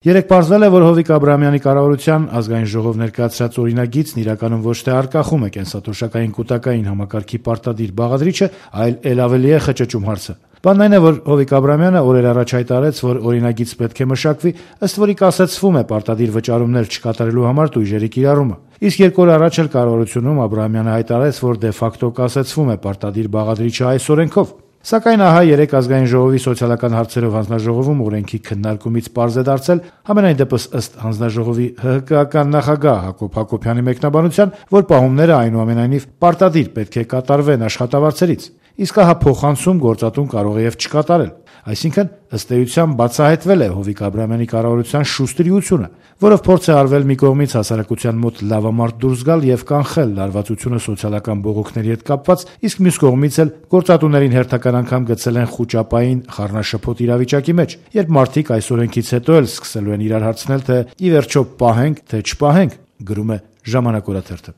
Երեկ պարզվել է, որ Հովիկ Աբրահամյանի կառավարության ազգային ժողով ներկայացրած օրինագիծն իրականում ոչ թե արգախում է կենսաթոշակային կուտակային համակարգի պարտադիր բաղադրիչը, այլ էլ ավելի է խճճում հարցը։ Բանն այն է, որ Հովիկ Աբրահամյանը օրեր առաջ հայտարարեց, որ օրինագիծ պետք է մշակվի, ըստ որի կասեցվում է պարտադիր վճարումներ չկատարելու համար տույժերի կիրառումը։ Իսկ 2 օր առաջ էլ կառավարությունում Աբրահամյանը հայտարարեց, որ դե ֆակտո կասեցվում է պարտադիր բաղադրիչը այս օրենքով։ Սակայն ահա երեկ ազգային ժողովի սոցիալական հարցերով հանձնաժողովում օրենքի քննարկումից պարզ է դարձել, համենայն դեպս ըստ հանձնաժողովի ՀՀԿ-ական նախագահ Հակոբ Հակոբյանի մեկնաբանության, որ պահումները այնուամենայնիվ պարտադիր պետք է կատարվեն աշխատավարձերից, իսկ ահա փոխանցում գործատուն կարող է եւ չկատարել։ Այսինքն, ըստ էության բացահայտվել է Հովիկ Աբրահամյանի կառավարության շուստրիությունը, որով փորձ է արվել մի կողմից հասարակության մոտ լավամարդ դուրս գալ եւ կանխել լարվածությունը սոցիալական բողոքների հետ կապված, իսկ մյուս կողմից էլ գործատուներին հերթական անգամ գցել են խուճապային խառնաշփոթ իրավիճակի մեջ, երբ մարդիկ այս օրենքից հետո էլ սկսելու են իրար հարցնել, թե ի վերջո պահենք, թե չպահենք, գրում է Ժամանակ օրաթերթը։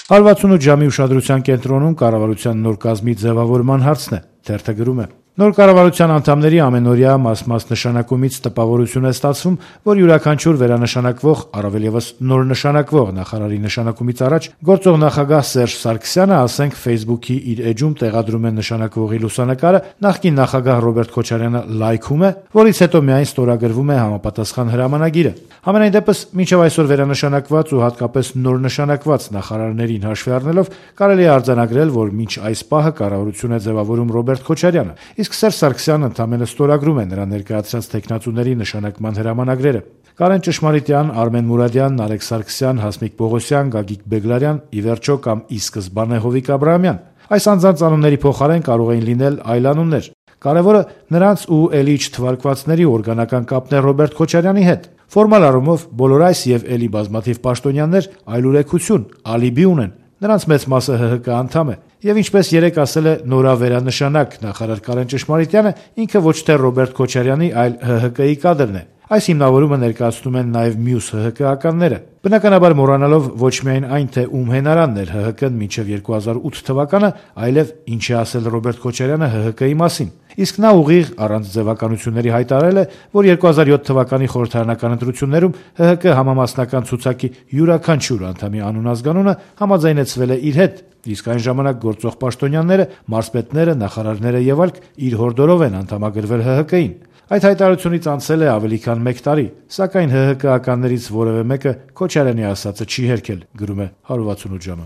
168 ժամի ուշադրության կենտրոնում կառավարության նոր կազմի ձևավորման հարցն է, թերթը գրում է. Նոր կառավարության անդամների ամենօրյա մաս նշանակումից տպավորություն է ստացվում, որ յուրաքանչյուր վերանշանակվող, առավել ևս նոր նշանակվող նախարարի նշանակումից առաջ գործող նախագահ Սերժ Սարգսյանը, ասենք, Facebook-ի իր էջում տեղադրում է նշանակվողի լուսանկարը, նախկին նախագահ Ռոբերտ Քոչարյանը լայքում է, որից հետո միայն ստորագրվում է համապատասխան հրամանագիրը։ Համենայն դեպս, մինչև այսօր վերանշանակված ու հատկապես նոր նշանակված նախարարներին հաշվի առնելով, կարելի է արձանագրել, որ մինչ այս պահը կառավարություն է ձևավորում Ռոբերտ Քոչարյանը, իսկ Սերժ Սարգսյանը ընդամենը ստորագրում է նրան ներկայացրած թեկնածուների նշանակման հրամանագրերը։ Կարեն Ճշմարիտյան, Արմեն Մուրադյան, Նարեկ Սարգսյան, Հասմիկ Պողոսյան, Գագիկ Բեգլարյան, ի վերջո կամ ի սկզբանե Հովիկ Աբրահամյան։ Այս անձանց անունների փոխարեն կարող էին լինել այլ անուններ։ Կարևորը նրանց ու էլի չթվարկվածների օրգանական կապն է Ռոբերտ Քոչարյանի հետ։ Ֆորմալ առումով բոլոր այս եւ էլի բազմաթիվ պաշտոնյաներ այլուրեկություն, ալիբի ունեն։ Նրանց մեծ մասը ՀՀԿ անդամ է։ Եվ ինչպես երեկ ասել է նորավերանշանակ նախարար Կարեն Ճշմարիտյանը, ինքը ոչ թե Ռոբերտ Քոչարյանի, այլ ՀՀԿ-ի կադրն է։ Այս հիմնավորումը ներկայացնում են նաև մյուս ՀՀԿ-ականները։ Բնականաբար մոռանալով ոչ միայն այն, թե ում հենարանն էր ՀՀԿ-ն մինչև 2008 թվականը, այլև ինչ է ասել Ռոբերտ Քոչարյանը ՀՀԿ-ի մասին։ Իսկ նա ուղիղ առանց ձևականությունների հայտարարել է, որ 2007 թվականի խորհրդարանական ընտրություններում ՀՀԿ համամասնական ցուցակի յուրաքանչյուր անդամի անուն-ազգանունը համաձայնեցվել է իր հետ, իսկ այն ժամանակ գործող պաշտոնյաները, մարզպետները, նախարարները եւ այլք իր հորդորով են անդամագրվել ՀՀԿ-ին։ Այդ հայտարարությունից անցել է ավելի քան 1 տարի, սակայն ՀՀԿ-ականներից որևէ մեկը Քոչարյանի ասածը չի հերքել, գրում է 168 ժամը։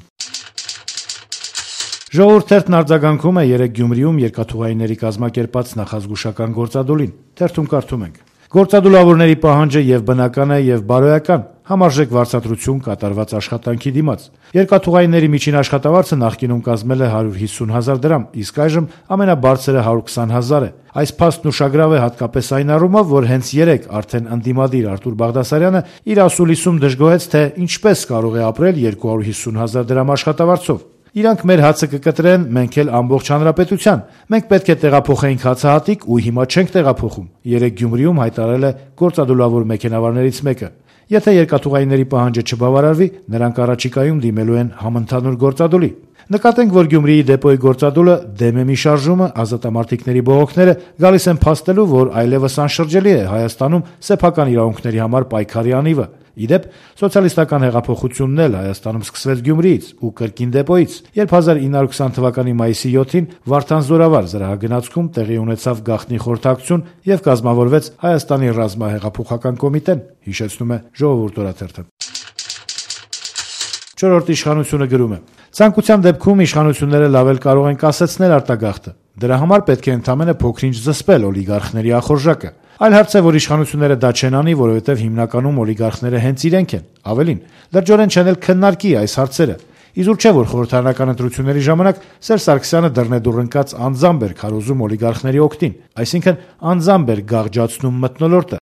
Ժողովուրդ թերթն արձագանքում է երեկ Գյումրիում երկաթուղայինների կազմակերպած նախազգուշական գործադուլին։ Թերթում կարդում ենք. Գործադուլավորների պահանջը եւ բնական է եւ բարոյական, համարժեք վարձատրություն կատարված աշխատանքի դիմաց։ Երկաթուղայինների միջին աշխատավարձը նախկինում կազմել է 150,000 դրամ, իսկ այժմ ամենաբարձրը 120,000 է։ Այս փաստն ուշագրավ է հատկապես այն առումով, որ հենց երեկ արդեն ընդդիմադիր Արտուր Բաղդասարյանը իր ասուլիսում դժգոհեց, թե ինչպես կարող է ապրել 250,000 դրամ աշխատավարձով։ Իրանք մեր հացը կկտրեն, մենք էլ ամբողջ հանրապետության։ Մենք պետք է տեղափոխենք հացահատիկ ու հիմա չենք տեղափոխում։ Երեկ Գյումրիում հայտարարել է գործադուլավոր մեքենավարներից մեկը։ Եթե երկաթուղայինների պահանջը չբավարարվի, նրանք առաջիկայում դիմելու են համընդհանուր գործադուլի։ Նկատենք, որ Գյումրիի դեպոյի գործադուլը դեմ է մի շարժումը, ազատամարտիկների բողոքները գալիս են փաստելու, որ այլևս անշրջելի է Հայաստանում սեփական իրավունքների համար պայքարի անիվը։ Իդեպ, սոցիալիստական հեղափոխությունն էլ Հայաստանում սկսվեց Գյումրիից ու կրկին դեպոյից, երբ 1920 թվականի մայիսի 7-ին Վարդան Զորավար զրահագնացքում տեղի ունեցավ գաղտնի խորհրդակցություն եւ կազմավորվեց Հայաստանի ռազմահեղափոխական կոմիտեն, հիշեցնում է Ժողովուրդ օրաթերթը։ Չորրորդ իշխանությունը գրում է. Ցանկության դեպքում իշխանությունները լավ էլ կարող են կասեցնել արտագաղթը։ Դրա համար պետք է ընդամենը փոքրինչ զսպել օլիգարխների ախորժակը։ Այլ հարց է, որ իշխանությունները դա չեն անի, որովհետև հիմնականում օլիգարխները հենց իրենք են։ Ավելին, լրջորեն չեն էլ քննարկի այս հարցերը։ Իզուր չէ, որ խորհրդարանական ընտրությունների ժամանակ Սերժ Սարգսյանը դռնեդուռ ընկած անձամբ էր քարոզում օլիգարխների օգտին, այսինքն անձամբ էր գաղջացնում մթնոլորտը,